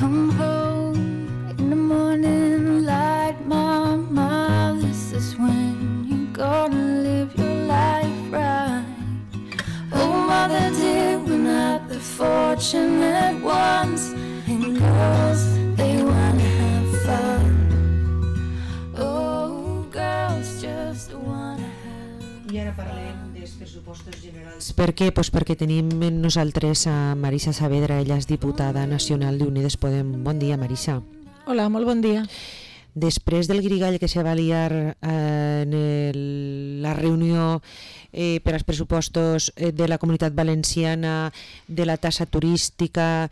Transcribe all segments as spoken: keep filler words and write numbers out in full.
come home in the morning light, mama, this is when you're gonna live your life right. Oh, mother dear, we're not the fortunate ones, and girls, they wanna have fun. Oh, girls just wanna have. I ara parlem dels pressupostos generals. Per què? Pues perquè tenim nosaltres a Marisa Saavedra, ella és diputada nacional d'Unides Podem. Bon dia, Marisa. Hola, molt bon dia. Després del grigall que se va liar eh, en el, la reunió eh, per als pressupostos eh, de la Comunitat Valenciana, de la tassa turística,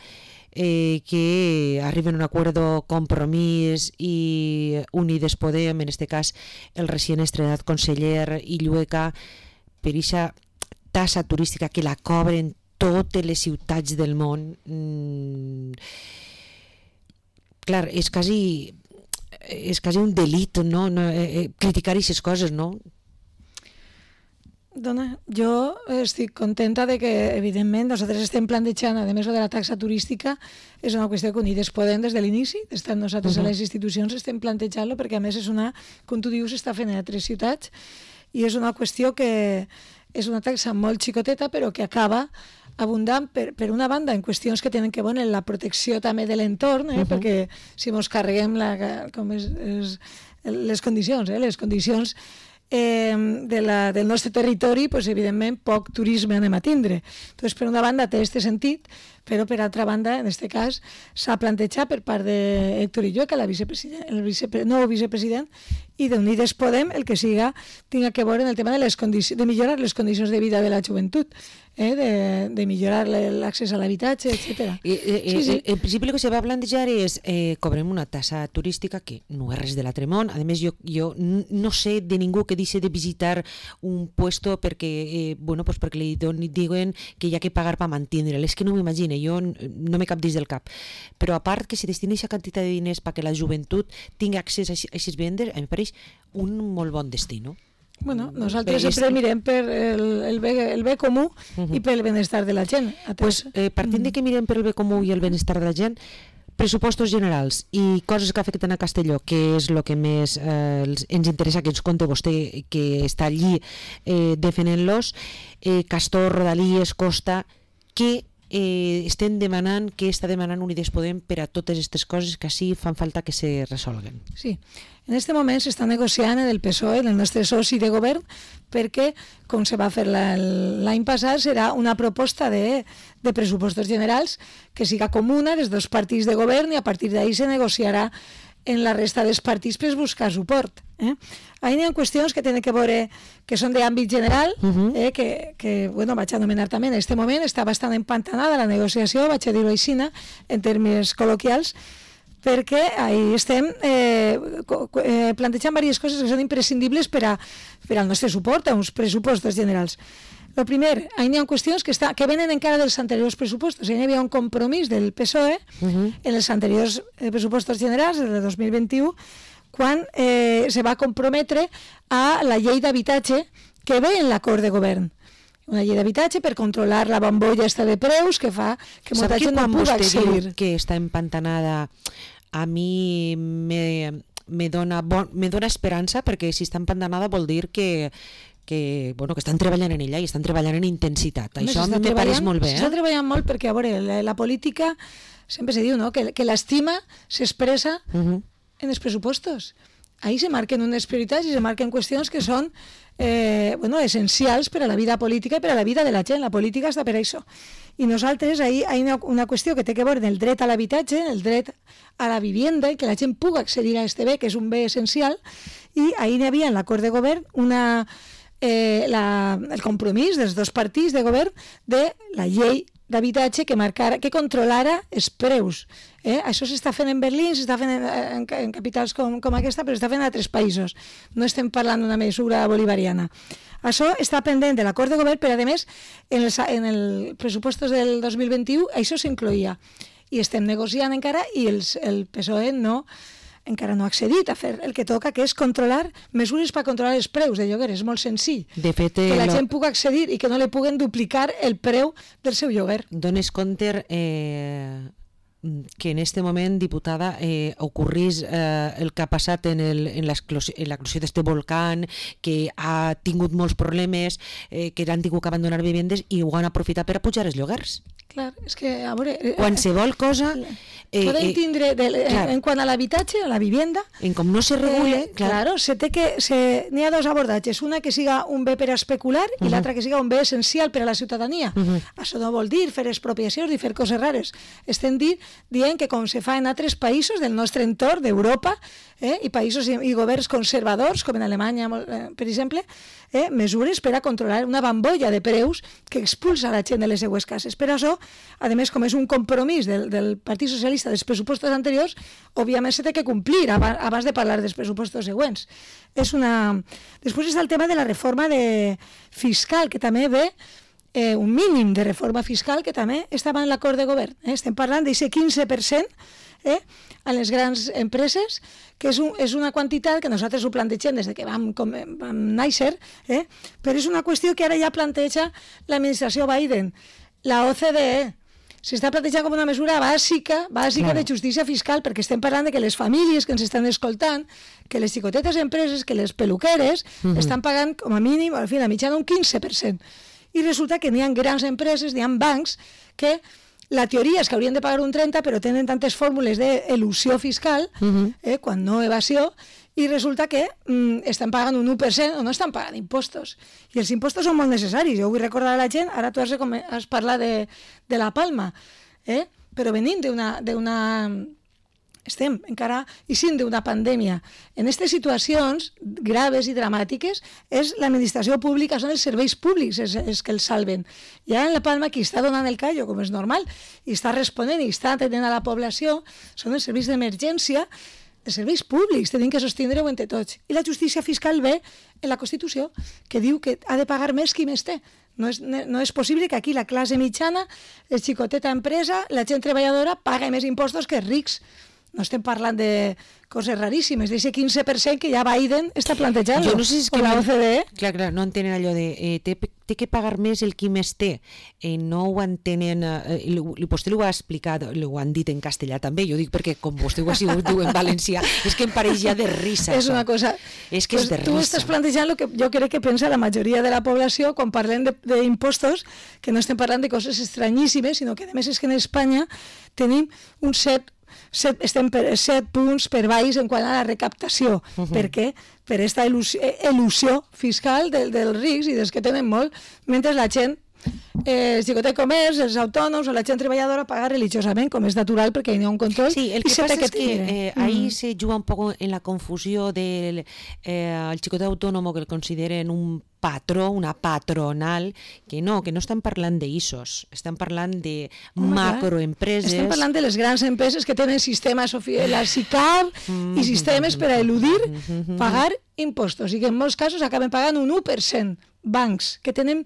eh, que arriben a un acuerdo compromís i Unides Podem, en este cas el recient estrenat conseller Illueca, per aquesta tassa turística que la cobren totes les ciutats del món. Mm, clar, és quasi... és quasi un delit, no? no eh, eh, criticar aquestes coses, no? Dona, jo estic contenta de que, evidentment, nosaltres estem plantejant, a més de la taxa turística, és una qüestió que Unides Podem des de l'inici, estem nosaltres uh-huh. a les institucions, estem plantejant-lo, perquè a més és una, com tu dius, està fent a tres ciutats, i és una qüestió que és una taxa molt xicoteta, però que acaba abundant, per, per una banda, en qüestions que tenen que veure en la protecció també de l'entorn, eh? uh-huh. perquè si mos carreguem la, com és, és, les condicions, eh? les condicions eh, de la, del nostre territori, pues, evidentment, poc turisme anem a tindre. Entonces, per una banda, té aquest sentit, però per altra banda, en aquest cas, s'ha plantejat per part d'Héctor Illueca, la vicepresident, el vicepre, nou vicepresident, i d'Unides Podem, el que siga, tinga que veure en el tema de, les condici- de millorar les condicions de vida de la joventut, eh? de, de millorar l'accés a l'habitatge, etcètera. Eh, eh, sí, sí. En principi el que se va plantejar és eh, cobrem una tassa turística que no és res de l'altre món. A més, jo, jo no sé de ningú que deixi de visitar un puesto perquè, eh, bueno, pues perquè li diuen que hi ha que pagar per mantindre'l. És que no m'imagino, jo no me cap dins del cap. Però a part que se destini aquesta quantitat de diners perquè la joventut tingui accés a aquestes vendes, em pareix un molt bon destí, no? Bueno, nosaltres sempre mirem per el, el, bé, el bé comú uh-huh. i pel benestar de la gent. Pues, eh, partint de que mirem per el bé comú i el benestar de la gent, pressupostos generals i coses que afecten a Castelló, que és el que més eh, ens interessa que ens conte vostè, que està allí eh, defenent-los, eh, Castor, Rodalies, Costa, que eh, estem demanant, que està demanant Unides Podem per a totes aquestes coses que així fan falta que se resolguen. Sí, en aquest moment s'està negociant en el P S O E, en el nostre soci de govern, perquè, com se va fer la, l'any passat, serà una proposta de, de pressupostos generals que siga comuna dels dos partits de govern i a partir d'ahí se negociarà en la resta dels partits per buscar suport. Eh? Ahí hi ha qüestions que tenen que veure, que són d'àmbit general, uh-huh. eh, que, que bueno, vaig anomenar també en aquest moment, està bastant empantanada la negociació, vaig a dir-ho així, en termes col·loquials, perquè ahí estem eh, eh, plantejant diverses coses que són imprescindibles per, a, per al nostre suport a uns pressupostos generals. El primer, ahí hi ha qüestions que, està, que venen encara dels anteriors pressupostos. Ahí hi havia un compromís del P S O E uh-huh. en els anteriors eh, pressupostos generals, del dos mil vint-i-u, quan eh, se va comprometre a la llei d'habitatge que ve en l'acord de govern. Una llei d'habitatge per controlar la bombolla esta de preus que fa que molta gent no pugui accedir. Que està empantanada, a mi me, me, dona bon, me dona esperança, perquè si està empantanada vol dir que que, bueno, que estan treballant en ella i estan treballant en intensitat. Home, això me pareix molt bé. S'està eh? treballant molt perquè, a veure, la, la política sempre se diu, no?, que, que l'estima s'expressa uh-huh. en els pressupostos. Ahí se marquen unes prioritats i se marquen qüestions que són eh, bueno, essencials per a la vida política i per a la vida de la gent. La política està per això. I nosaltres, ahí hi ha una qüestió que té que veure en el dret a l'habitatge, el dret a la vivienda, i que la gent pugui accedir a este bé, que és un bé essencial, i ahí hi havia en l'acord de govern una, eh, la, el compromís dels dos partits de govern de la llei d'habitatge que marcara, que controlara els preus. Eh? Això s'està fent en Berlín, s'està fent en, en, en capitals com, com aquesta, però s'està fent en altres països. No estem parlant d'una mesura bolivariana. Això està pendent de l'acord de govern, però a més, en els en el pressupostos del dos mil vint-i-u, això s'incloïa. I estem negociant encara i els, el P S O E no encara no ha accedit a fer el que toca, que és controlar mesures per controlar els preus de lloguer. És molt senzill. De fet, que la lo... gent pugui accedir i que no li puguen duplicar el preu del seu lloguer. Dones compte, eh, que en este moment, diputada, eh, ocorrís eh, el que ha passat en, el, en l'eclosió d'este volcán, que ha tingut molts problemes, eh, que han tingut que abandonar vivendes i ho han aprofitat per a pujar els lloguers. Clar, és que, a veure... Eh, Qualsevol cosa... Eh, Podem eh, tindre, de, en, en quant a l'habitatge, a la vivienda... En com no se regule... Eh, clar, claro, se té que... Se, n'hi ha dos abordatges, una que siga un bé per a especular i uh -huh. l'altra que siga un bé essencial per a la ciutadania. Uh -huh. Això no vol dir fer expropiacions i fer coses rares. Estem dir, dient que com se fa en altres països del nostre entorn, d'Europa, eh, i països i, i governs conservadors, com en Alemanya, eh, per exemple, eh, mesures per a controlar una bambolla de preus que expulsa la gent de les seues cases. Per això, a més, com és un compromís del, del Partit Socialista dels pressupostos anteriors, òbviament se té que complir abans de parlar dels pressupostos següents. És una... Després està el tema de la reforma de... fiscal, que també ve eh, un mínim de reforma fiscal que també estava en l'acord de govern. Eh? Estem parlant d'aquest quinze per cent eh, a les grans empreses, que és, un, és una quantitat que nosaltres ho plantegem des de que vam, com, vam néixer, eh? però és una qüestió que ara ja planteja l'administració Biden. La O C D E s'està plantejant com una mesura bàsica, bàsica claro. de justícia fiscal, perquè estem parlant de que les famílies que ens estan escoltant, que les xicotetes empreses, que les peluqueres, uh-huh. estan pagant com a mínim, al final, mitjana un quinze per cent. I resulta que n'hi ha grans empreses, n'hi ha bancs, que la teoria és que haurien de pagar un trenta, però tenen tantes fórmules d'elusió fiscal, uh-huh. eh, quan no evasió, i resulta que mm, estan pagant un u per cent o no estan pagant impostos. I els impostos són molt necessaris. Jo vull recordar a la gent, ara tu has, has parlat de, de la Palma, eh? però venint d'una... d'una estem encara eixint d'una pandèmia. En aquestes situacions graves i dramàtiques és l'administració pública, són els serveis públics els, els que els salven. Ja en la Palma qui està donant el callo, com és normal, i està responent i està atenent a la població, són els serveis d'emergència, els serveis públics, tenim que sostindre-ho entre tots. I la justícia fiscal ve en la Constitució, que diu que ha de pagar més qui més té. No és, no és possible que aquí la classe mitjana, el xicoteta empresa, la gent treballadora, paga més impostos que els rics. No estem parlant de coses raríssimes, d'aquest quinze per cent que ja Biden està plantejant, jo no sé si és que o la O C D E. Clar, clar, no entenen allò de eh, té, té que pagar més el qui més té. Eh, no ho entenen, eh, vostè ho ha explicat, ho han dit en castellà també, jo dic perquè com vostè ho ha sigut en valencià, és que em pareix ja de risa. És una cosa... És que pues és de risa. Tu estàs plantejant el que jo crec que pensa la majoria de la població quan parlem d'impostos, que no estem parlant de coses estranyíssimes, sinó que a més és que en Espanya tenim un set Set, estem per set punts per baix en quant a la recaptació. Uh-huh. Per què? Per aquesta il·lusió fiscal del, dels rics i dels que tenen molt, mentre la gent, eh, el xicotet comerç, els autònoms o la gent treballadora paga religiosament, com és natural perquè hi ha un control. Sí, el que passa que es que eh, ahí mm. se juga un poco en la confusió del eh, el xicotet autònom que el consideren un patró, una patronal, que no, que no estan parlant d'I S Os, estan parlant de Home, macroempreses. Estem parlant de les grans empreses que tenen sistemes, la SICAV mm-hmm. i sistemes per a eludir mm-hmm. pagar impostos i que en molts casos acaben pagant un u per cent. Bancs que tenen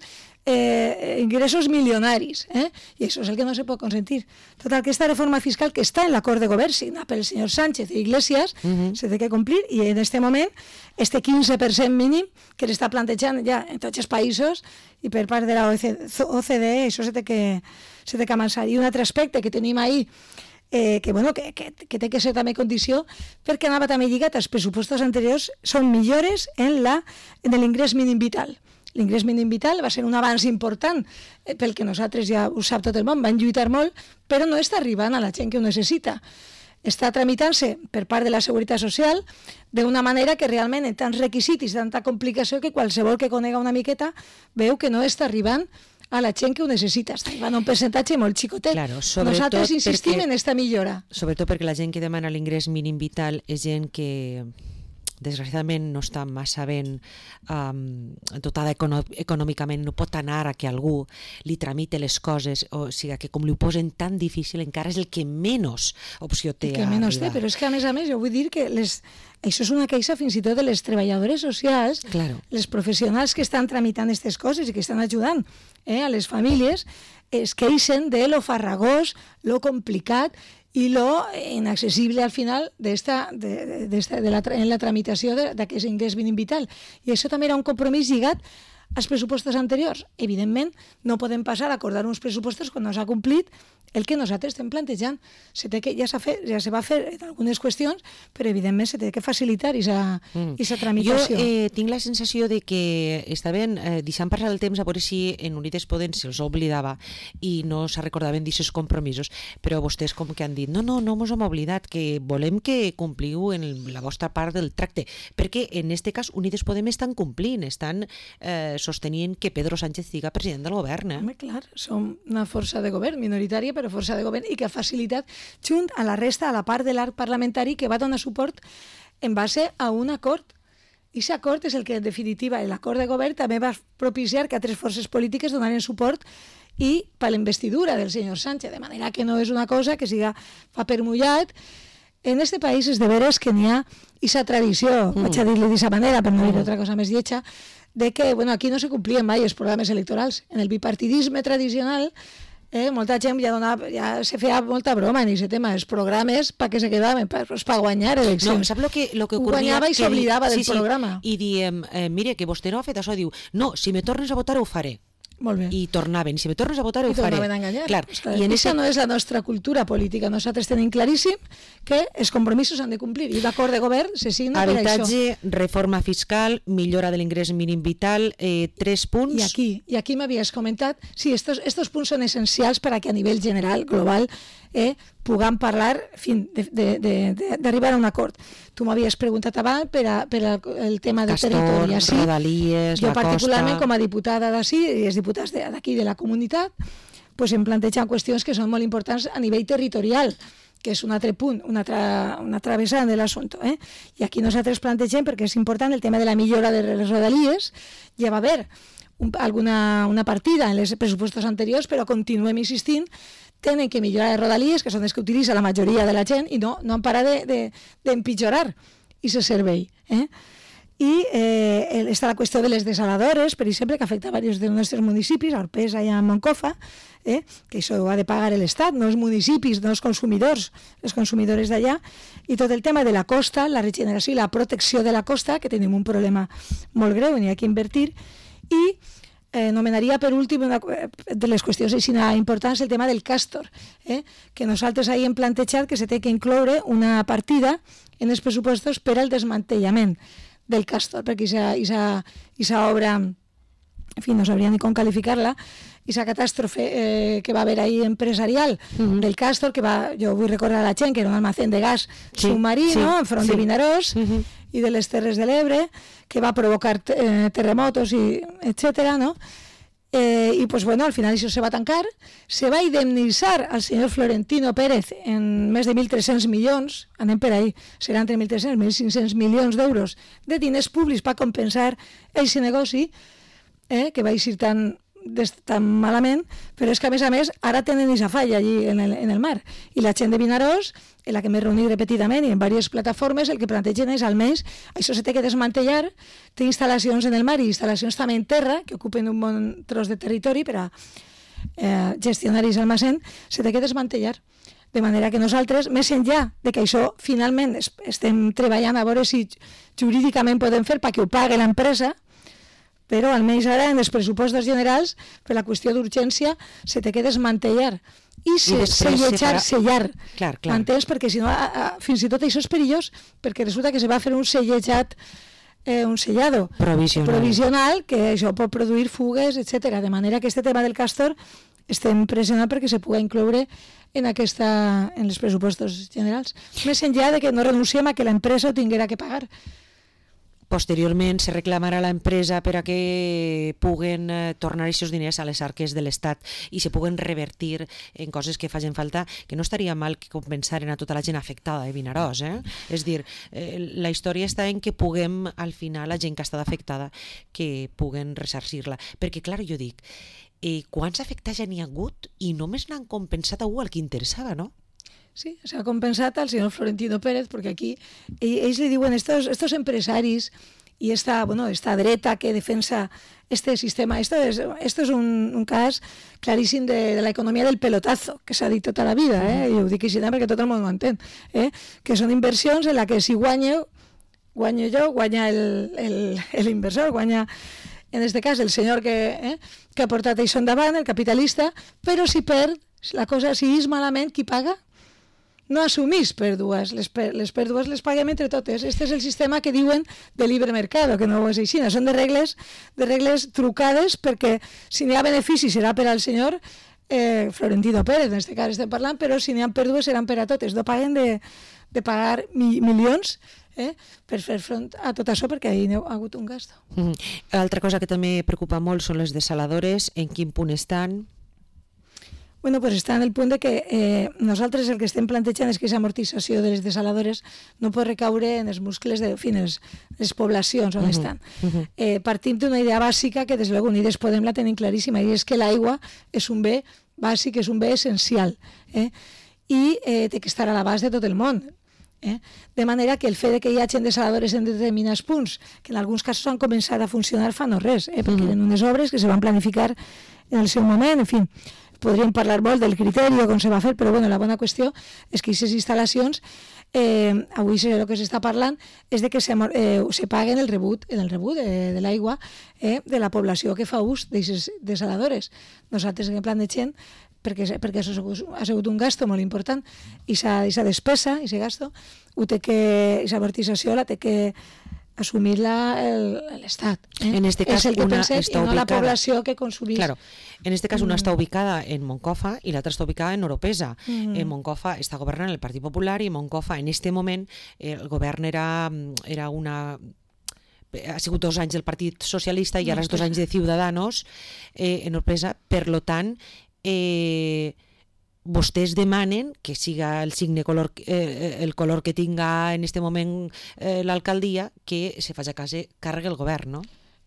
eh, ingressos milionaris, eh? i això és el que no se pot consentir. Tota aquesta reforma fiscal que està en l'acord de govern signat pel senyor Sánchez i Iglesias uh-huh. se té que complir, i en aquest moment este quinze per cent mínim que l'està plantejant ja en tots els països i per part de la O C D E, això se té que, se té que avançar. I un altre aspecte que tenim ahí Eh, que, bueno, que, que, que té que ser també condició perquè anava també lligat als pressupostos anteriors, són millores en l'ingrés mínim vital. L'ingrés mínim vital va ser un avanç important eh, pel que nosaltres, ja ho sap tot el món, van lluitar molt, però no està arribant a la gent que ho necessita. Està tramitant-se per part de la Seguretat Social d'una manera que realment en tants requisits i tanta complicació que qualsevol que conega una miqueta veu que no està arribant a la gent que ho necessita. Està arribant a un percentatge molt xicotet. Claro, nosaltres insistim perquè, en aquesta millora. Sobretot perquè la gent que demana l'ingrés mínim vital és gent que desgraciadament no està massa ben um, dotada econo- econòmicament, no pot anar a que algú li tramite les coses, o sigui que com li ho posen tan difícil encara és el que menys opció té. El que menys té, però és que a més a més jo vull dir que les, això és una queixa fins i tot de les treballadores socials, claro. Les professionals que estan tramitant aquestes coses i que estan ajudant eh, a les famílies, es queixen de lo farragós, lo complicat i lo inaccessible al final d'esta, de, de, de la, en la tramitació d'aquest ingrés mínim vital. I això també era un compromís lligat als pressupostos anteriors. Evidentment, no podem passar a acordar uns pressupostos quan no s'ha complit el que nosaltres estem plantejant. Se té que, ja, fet, ja se va fer en algunes qüestions, però evidentment se té que facilitar aquesta mm. tramitació. Jo eh, tinc la sensació de que estaven eh, deixant passar el temps a veure si en Unides Podem se'ls oblidava i no se recordaven d'aquests compromisos, però vostès com que han dit no, no, no mos hem oblidat, que volem que compliu en la vostra part del tracte, perquè en aquest cas Unides Podem estan complint, estan eh, sostenint que Pedro Sánchez siga president del govern. Eh? Home, clar, som una força de govern, minoritària, però força de govern, i que ha facilitat, junt a la resta, a la part de l'arc parlamentari, que va donar suport en base a un acord. I aquest acord és el que, en definitiva, l'acord de govern també va propiciar que altres forces polítiques donaren suport i per la investidura del senyor Sánchez, de manera que no és una cosa que siga paper mullat. En este país és de veres que n'hi ha aquesta tradició, mm. vaig a dir-li d'aquesta manera, per no dir altra cosa més lletja, de que bueno, aquí no se complien mai els programes electorals. En el bipartidisme tradicional, eh, molta gent ja, donava, ja se feia molta broma en aquest tema, els programes per què se quedaven, per, pues, per guanyar eleccions. No, sap lo que, lo que ocurria? Guanyava i s'oblidava del sí, sí, programa. I diem, eh, mire, que vostè no ha fet això, diu, no, si me tornes a votar ho faré. Molt bé. I tornaven, si me tornes a votar ho I faré. I tornaven a enganyar. Clar. Pues clar, I en aquesta ese... no és la nostra cultura política. Nosaltres tenim claríssim que els compromisos s'han de complir i l'acord de govern se signa per això. Habitatge, reforma fiscal, millora de l'ingrés mínim vital, eh, tres punts. I aquí, i aquí m'havies comentat, sí, estos, estos punts són essencials per a que a nivell general, global, eh, puguem parlar, en fi, d'arribar a un acord. Tu m'havies preguntat abans per, a, per a, el tema del Castor, territori. Sí, Rodalies, jo la particularment costa... com a diputada d'ací i els diputats d'aquí de, de la comunitat, pues em plantegen qüestions que són molt importants a nivell territorial, que és un altre punt, una altra, una altra vessant de l'assumpte. Eh? I aquí nosaltres plantegem, perquè és important, el tema de la millora de les Rodalies. Ja va haver un, alguna una partida en els pressupostos anteriors, però continuem insistint, tenen que millorar les Rodalies, que són les que utilitza la majoria de la gent, i no, no han parat d'empitjorar de, de, aquest servei. Eh? I eh, està la qüestió de les desaladores, per exemple, que afecta a diversos dels nostres municipis, a Orpesa i a Moncofa, eh? que això ho ha de pagar l'Estat, no els municipis, no els consumidors, els consumidors d'allà, i tot el tema de la costa, la regeneració i la protecció de la costa, que tenim un problema molt greu, n'hi ha que invertir, i Eh, nomenaria per últim una de les qüestions importants el tema del Castor, eh? que nosaltres ahir hem plantejat que se té que incloure una partida en els pressupostos per al desmantellament del Castor, perquè aquesta obra, en fi, no sabria ni com qualificar-la, aquesta catàstrofe eh, que va haver ahir empresarial mm-hmm. del Castor, que va, jo vull recordar a la gent que era un almacén de gas sí, submarí, sí, no? enfront sí. de Vinaròs, mm-hmm. i de les Terres de l'Ebre, que va provocar eh, terremotos, i etcètera, no? Eh, I, pues, bueno, al final això se va tancar, se va indemnitzar al senyor Florentino Pérez en més de mil tres-cents milions, anem per ahí, seran entre mil tres-cents i mil cinc-cents milions d'euros de diners públics per compensar aquest negoci, eh, que va eixir tan, tan malament, però és que, a més a més, ara tenen aquesta falla allí en el, en el mar. I la gent de Vinaròs, en la que m'he reunit repetidament i en diverses plataformes, el que plantegen és, almenys, això se té que desmantellar, té instal·lacions en el mar i instal·lacions també en terra, que ocupen un bon tros de territori per a eh, gestionar aquest almacén, se té que desmantellar. De manera que nosaltres, més enllà de que això finalment estem treballant a veure si jurídicament podem fer perquè ho pagui l'empresa, però almenys ara en els pressupostos generals, per la qüestió d'urgència, se té que desmantellar i se, selletjar, sellar. Clar, clar. Entens? Perquè si no, a, a, fins i tot això és perillós, perquè resulta que se va fer un sellejat, eh, un sellado provisional. provisional, que això pot produir fugues, etcètera. De manera que este tema del Castor estem pressionant perquè se pugui incloure en, aquesta, en els pressupostos generals. Més enllà de que no renunciem a que l'empresa ho tinguera que pagar. Posteriorment se reclamarà a l'empresa per a que puguen eh, tornar aquests diners a les arques de l'Estat i se puguen revertir en coses que facin falta, que no estaria mal que compensaren a tota la gent afectada de Vinaròs. Eh? És dir, eh, la història està en que puguem, al final, la gent que ha estat afectada, que puguen ressarcir-la. Perquè, clar, jo dic, eh, quants afectats ja n'hi ha hagut i només n'han compensat a algú al que interessava, no? Sí, s'ha compensat al senyor Florentino Pérez, perquè aquí ells li diuen, estos, estos empresaris i esta, bueno, esta dreta que defensa este sistema, esto es, esto es un, un cas claríssim de, de la economia del pelotazo, que s'ha dit tota la vida, eh? I ho dic així perquè tot el món ho entén, eh? Que són inversions en la que si guanyo, guanyo jo, guanya l'inversor, guanya en aquest cas el senyor que, eh, que ha portat això endavant, el capitalista, però si perd, la cosa, si és malament, qui paga? No assumís pèrdues, les, per, les pèrdues les paguem entre totes. Este és el sistema que diuen de libre mercat, que no és així, són de regles, de regles trucades, perquè si n'hi ha benefici serà per al senyor eh, Florentino Pérez, en aquest cas estem parlant, però si n'hi ha pèrdues seran per a totes. No paguen de, de pagar mi, milions eh, per fer front a tot això, perquè hi ha hagut un gasto. Mm. Altra cosa que també preocupa molt són les desaladores, en quin punt estan? Bueno, pues està en el punt de que eh, nosaltres el que estem plantejant és que aquesta amortització de les desaladores no pot recaure en els muscles de en les, les poblacions on uh-huh, estan. Uh-huh. Eh, partim d'una idea bàsica que des de Unides Podem la tenim claríssima, i és que l'aigua és un bé bàsic, és un bé essencial, eh? i eh, té que estar a l'abast de tot el món. Eh? De manera que el fet de que hi hagi desaladores en determinats punts, que en alguns casos han començat a funcionar fa no res, eh? perquè uh-huh. eren unes obres que se van planificar en el seu moment, en fi, podríem parlar molt del criteri o com se va fer, però bueno, la bona qüestió és que aquestes instal·lacions, eh, avui el que s'està parlant és de que se, eh, se paguen el rebut, el rebut de, de l'aigua eh, de la població que fa ús d'aquestes desaladores. Nosaltres en plantegem, perquè, perquè això ha sigut un gasto molt important, i aquesta despesa, i aquest gasto, ho té que, aquesta amortització la té que assumir-la l'Estat. Eh? En este cas, és el que una pensem, està i no ubicada... la població que consumís. Claro. En este cas, una està ubicada en Moncofa i l'altra està ubicada en Oropesa. Mm. En Moncofa està governant el Partit Popular i Moncofa, en este moment, eh, el govern era, era una... ha sigut dos anys del Partit Socialista i ara és dos anys de Ciudadanos eh, en Oropesa. Per lo tant, eh, vostès demanen que siga el signe color, eh, el color que tinga en este moment eh, l'alcaldia, que se faci càrrec el govern, no?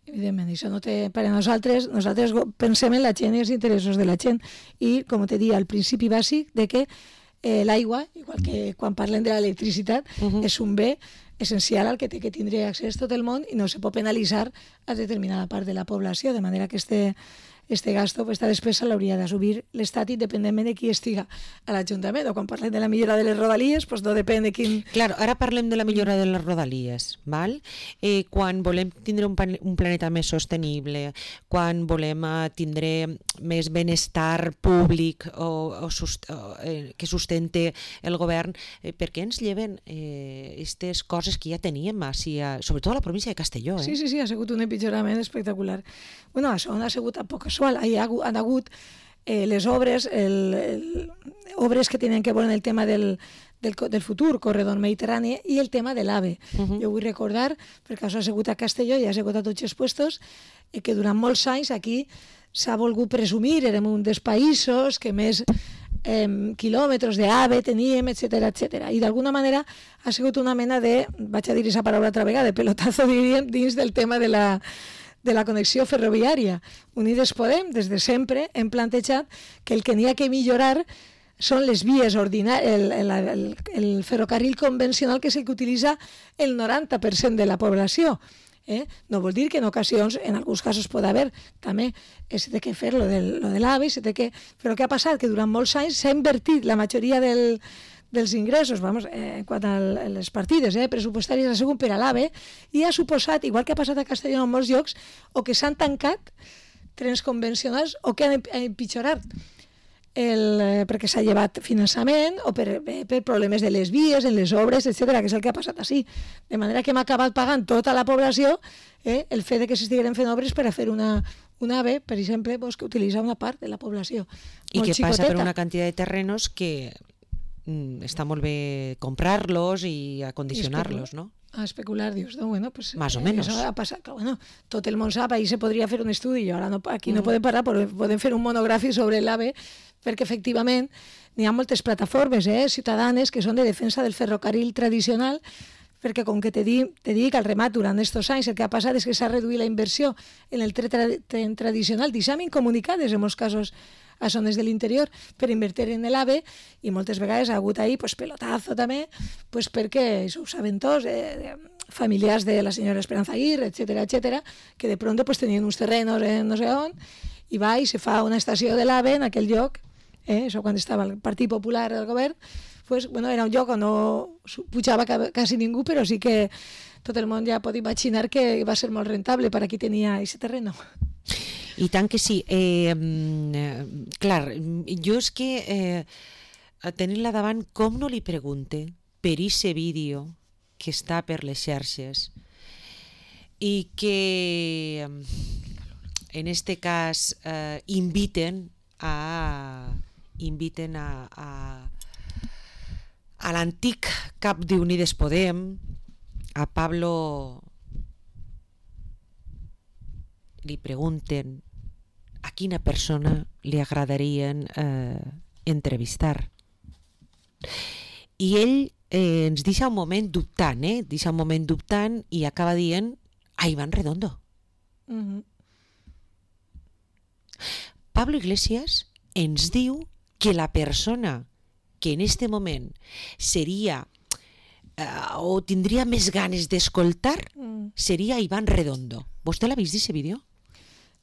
Evidentment, això no té per a nosaltres. Nosaltres pensem en la gent i els interessos de la gent, i, com te dia, el principi bàsic de que eh, l'aigua, igual que quan parlem de l'electricitat, uh-huh. és un bé essencial al que té que tindre accés tot el món i no se pot penalitzar a determinada part de la població, de manera que este este gasto, esta despesa l'hauria d'assumir l'Estat independentment de qui estiga a l'Ajuntament. O quan parlem de la millora de les rodalies, pues no depèn de quin... Claro, ara parlem de la millora de les rodalies, val? Eh, quan volem tindre un, un planeta més sostenible, quan volem uh, tindre més benestar públic o, o, sust o eh, que sustente el govern, eh, per què ens lleven aquestes eh, coses que ja teníem, així, a, sobretot a la província de Castelló? Eh? Sí, sí, sí, ha sigut un empitjorament espectacular. Bueno, això ha sigut a poc casual. Hi ha, han hagut eh, les obres, el, el, obres que tenen que veure en el tema del, del, del futur corredor mediterrani i el tema de l'AVE. Uh-huh. Jo vull recordar, perquè això ha sigut a Castelló i ha sigut a tots els puestos, eh, que durant molts anys aquí s'ha volgut presumir, érem un dels països que més eh, quilòmetres d'AVE teníem, etcètera, etcètera. I d'alguna manera ha sigut una mena de, vaig a dir aquesta paraula altra vegada, de pelotazo, diríem, dins del tema de la de la connexió ferroviària. Unides Podem, des de sempre, hem plantejat que el que n'hi ha que millorar són les vies ordinàries, el, el, el, el ferrocarril convencional, que és el que utilitza el noranta per cent de la població. Eh? No vol dir que en ocasions, en alguns casos pot haver, també s'ha de fer lo del, lo de l'AVE, que... però què ha passat? Que durant molts anys s'ha invertit la majoria del dels ingressos, vamos, eh, quant a les partides eh, pressupostàries ha sigut per a l'AVE, i ha suposat, igual que ha passat a Castelló en molts llocs, o que s'han tancat trens convencionals o que han empitjorat el, eh, perquè s'ha llevat finançament o per, eh, per problemes de les vies, en les obres, etcètera, que és el que ha passat així. De manera que hem acabat pagant tota la població eh, el fet de que s'estigueren fent obres per a fer una, una AVE, per exemple, pues, que utilitza una part de la població. I que xicoteta. passa per una quantitat de terrenos que està molt bé comprar-los i acondicionar-los, no? A especular, dius, no, bueno, pues... Más o menos. Això ha passat, clar, bueno, tot el món sap, ahí se podria fer un estudi, i ara no, aquí no mm. podem parlar, però podem fer un monogràfic sobre l'AVE, perquè efectivament n'hi ha moltes plataformes eh, ciutadanes que són de defensa del ferrocarril tradicional, perquè com que te, di, te dic al remat durant aquests anys el que ha passat és que s'ha reduït la inversió en el tren tra tradicional, deixem incomunicades en molts casos a zones de l'interior per invertir en l'AVE, i moltes vegades ha hagut ahí pues, pelotazo també, pues, perquè això ho saben tots, eh, familiars de la senyora Esperanza Aguirre, etcètera, etcètera, que de pronto pues, tenien uns terrenos en no sé on, i va i se fa una estació de l'AVE en aquell lloc, eh, això quan estava el Partit Popular del govern, pues, bueno, era un lloc on no pujava quasi ningú, però sí que tot el món ja pot imaginar que va ser molt rentable per a qui tenia aquest terreno. I tant que sí. Eh, clar, jo és que eh, tenint-la davant, com no li pregunte per aquest vídeo que està per les xarxes i que en este cas eh, inviten a inviten a, a, a l'antic cap d'Unides Podem, a Pablo, li pregunten a quina persona li agradarien eh, entrevistar. I ell eh, ens deixa un moment dubtant, eh? deixa un moment dubtant i acaba dient a Iván Redondo. Mm-hmm. Pablo Iglesias ens diu que la persona que en este moment seria eh, o tindria més ganes d'escoltar Mm. seria Iván Redondo. Vostè l'ha vist, aquest vídeo?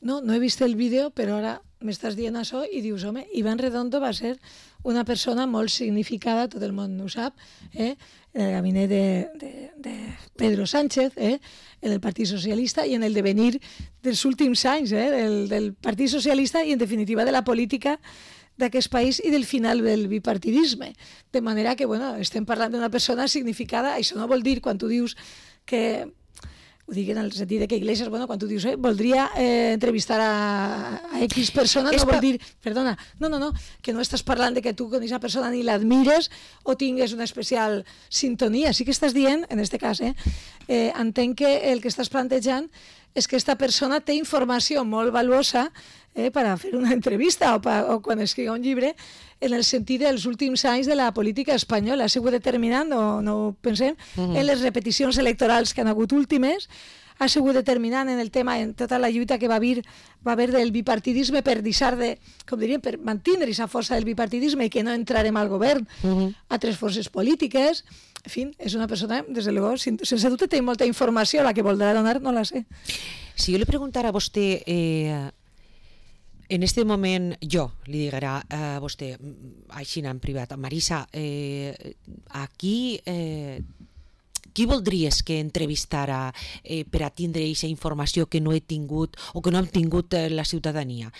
No, no he vist el vídeo, però ara m'estàs dient això i dius, home, Iván Redondo va ser una persona molt significada, tot el món ho sap, eh? en el gabinet de, de, de Pedro Sánchez, eh? en el Partit Socialista i en el devenir dels últims anys eh? del, del Partit Socialista i, en definitiva, de la política d'aquest país i del final del bipartidisme. De manera que, bueno, estem parlant d'una persona significada. Això no vol dir, quan tu dius que... Ho dic en el sentit de que Iglesias, bueno, quan tu dius, eh, voldria eh, entrevistar a, a X persona, no vol dir, perdona, no, no, no, que no estàs parlant de que tu con aquesta persona ni l'admires o tingues una especial sintonia. Sí que estàs dient, en aquest cas, eh, eh, entenc que el que estàs plantejant és que aquesta persona té informació molt valuosa eh, per a fer una entrevista o, pa, o quan escriga un llibre, en el sentit dels últims anys de la política espanyola. Ha sigut determinant, no, no ho pensem, uh-huh. en les repeticions electorals que han hagut últimes, ha sigut determinant en el tema, en tota la lluita que va haver, va haver del bipartidisme per deixar de, com diríem, per mantenir aquesta força del bipartidisme i que no entrarem al govern uh-huh. a tres forces polítiques. En fi, és una persona, des de luego, sense dubte té molta informació, la que voldrà donar no la sé. Si jo li preguntara a vostè... Eh... En este moment, jo li dirà a vostè, així en privat, Marisa, eh, aquí eh, qui voldries que entrevistara eh, per a tindre aquesta informació que no he tingut o que no hem tingut eh, la ciutadania?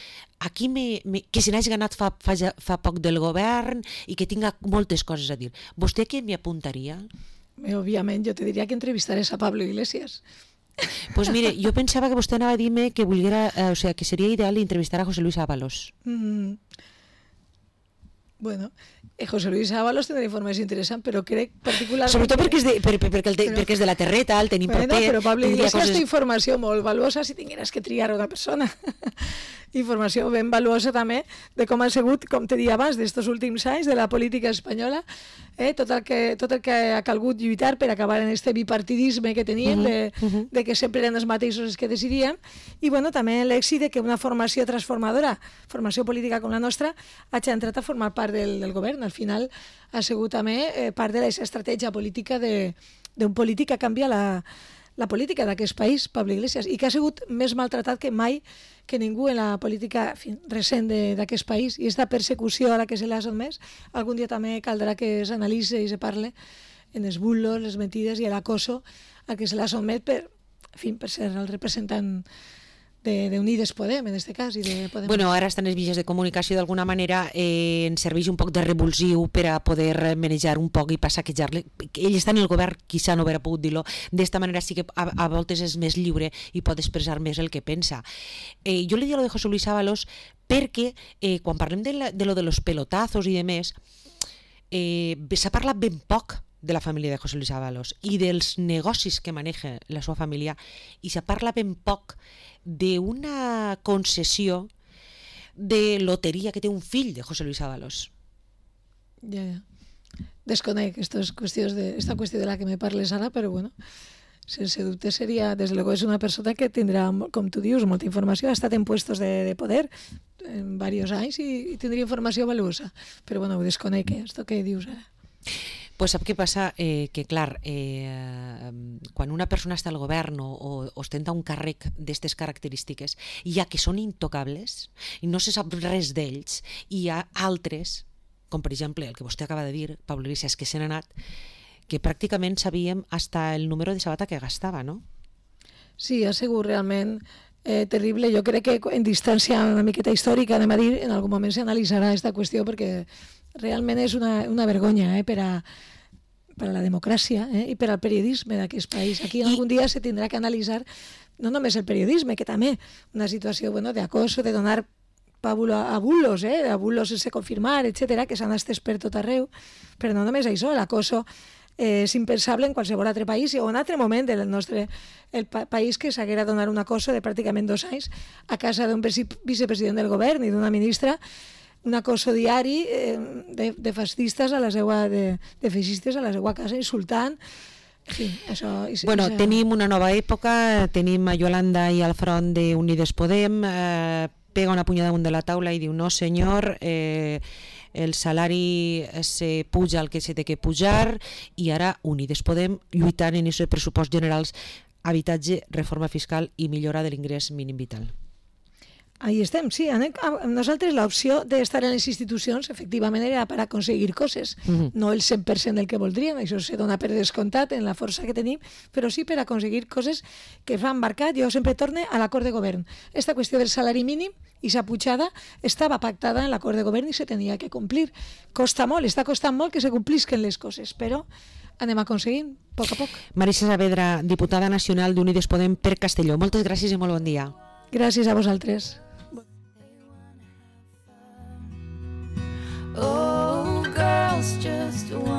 Aquí me, me, que se n'hagi ganat fa, fa, fa poc del govern i que tinga moltes coses a dir. Vostè què m'hi apuntaria? Òbviament, jo te diria que entrevistares a Pablo Iglesias. Pues mire, jo pensava que vostè anava a dir-me que volguera, eh, o sea, que seria ideal entrevistar a José Luis Ábalos. Mm. Bueno, eh, José Luis Ábalos tindrà informació interessant, però crec particularment... Sobretot perquè és de, per, per, perquè el te, però, perquè és de la terreta, el tenim bueno, proper... Però Pablo Iglesias coses... té informació molt valuosa si tingueres que triar una persona. Informació ben valuosa també de com ha sigut, com te dia abans, d'estos últims anys de la política espanyola, eh? tot, el que, tot el que ha calgut lluitar per acabar en este bipartidisme que teníem, uh-huh, de, uh-huh. de que sempre eren els mateixos els que decidíem, i bueno, també l'èxit de que una formació transformadora, formació política com la nostra, hagi entrat a formar part del, del govern. Al final ha sigut també eh, part de la estratègia política d'un polític que canvia la, la política d'aquest país, Pablo Iglesias, i que ha sigut més maltratat que mai que ningú en la política en fi, recent d'aquest país. I aquesta persecució a la que se l'ha sotmès, algun dia també caldrà que s'analitzi i se parle en els bulos, les mentides i l'acoso a que se l'ha sotmet per, en fi, per ser el representant de, de Unides Podem, en aquest cas. I de Podem. Bueno, ara estan els mitjans de comunicació, d'alguna manera eh, ens serveix un poc de revulsiu per a poder manejar un poc i passaquejar-le. Ell està en el govern, quizà no haurà pogut dir-lo, d'esta manera sí que a, a voltes és més lliure i pot expressar més el que pensa. Eh, jo li dic lo de José Luis Ábalos perquè eh, quan parlem de, la, de lo de los pelotazos i de més, eh, s'ha parlat ben poc de la família de José Luis Ábalos i dels negocis que maneja la seva família, i se parla ben poc d'una concessió de loteria que té un fill de José Luis Ábalos. Ja, ja. Desconec estas qüestions de, esta qüestió de la que me parles ara, però bueno, sense dubte seria, des de luego és una persona que tindrà, com tu dius, molta informació, ha estat en puestos de, de poder en diversos anys i, i tindria informació valuosa, però bueno, ho desconec, eh, esto que dius ara. Pues sap què passa? Eh, que clar, eh, quan una persona està al govern o, o ostenta un càrrec d'aquestes característiques, hi ha que són intocables i no se sap res d'ells, i hi ha altres, com per exemple el que vostè acaba de dir, Pablo Iglesias, que se n'ha anat, que pràcticament sabíem hasta el número de sabata que gastava, no? Sí, ha sigut realment eh, terrible. Jo crec que en distància una miqueta històrica, anem a dir, en algun moment s'analitzarà aquesta qüestió, perquè realment és una, una vergonya eh, per a per a la democràcia eh, i per al periodisme d'aquest país. Aquí algun dia se tindrà que analitzar no només el periodisme, que també una situació bueno, d'acoso, de donar pàbula a bulos, eh, a bulos sense confirmar, etcètera, que s'han estès per tot arreu, però no només això, l'acoso eh, és impensable en qualsevol altre país o en altre moment del nostre el pa país que s'haguera donar un acoso de pràcticament dos anys a casa d'un vicepresident del govern i d'una ministra, un acoso diari eh, de, de fascistes a la seva, de, de feixistes a la seva casa, insultant. En fi, això... Bueno, això... tenim una nova època, tenim a Yolanda i al front d'Unides Podem, eh, pega una punyada damunt de la taula i diu no senyor, eh, el salari se puja el que se té que pujar, i ara Unides Podem lluitant en aquest pressupost generals, habitatge, reforma fiscal i millora de l'ingrés mínim vital. Ahí estem, sí. Nosaltres l'opció d'estar en les institucions efectivament era per aconseguir coses, uh-huh. no el cent per cent del que voldríem, això se dona per descomptat en la força que tenim, però sí per aconseguir coses que s'han marcat. Jo sempre torne a l'acord de govern. Esta qüestió del salari mínim i sa pujada estava pactada en l'acord de govern i se tenia que complir. Costa molt, està costant molt que se complisquen les coses, però anem aconseguint, a poc a poc. Marisa Saavedra, diputada nacional d'Unides Podem per Castelló. Moltes gràcies i molt bon dia. Gràcies a vosaltres. Oh, girls just want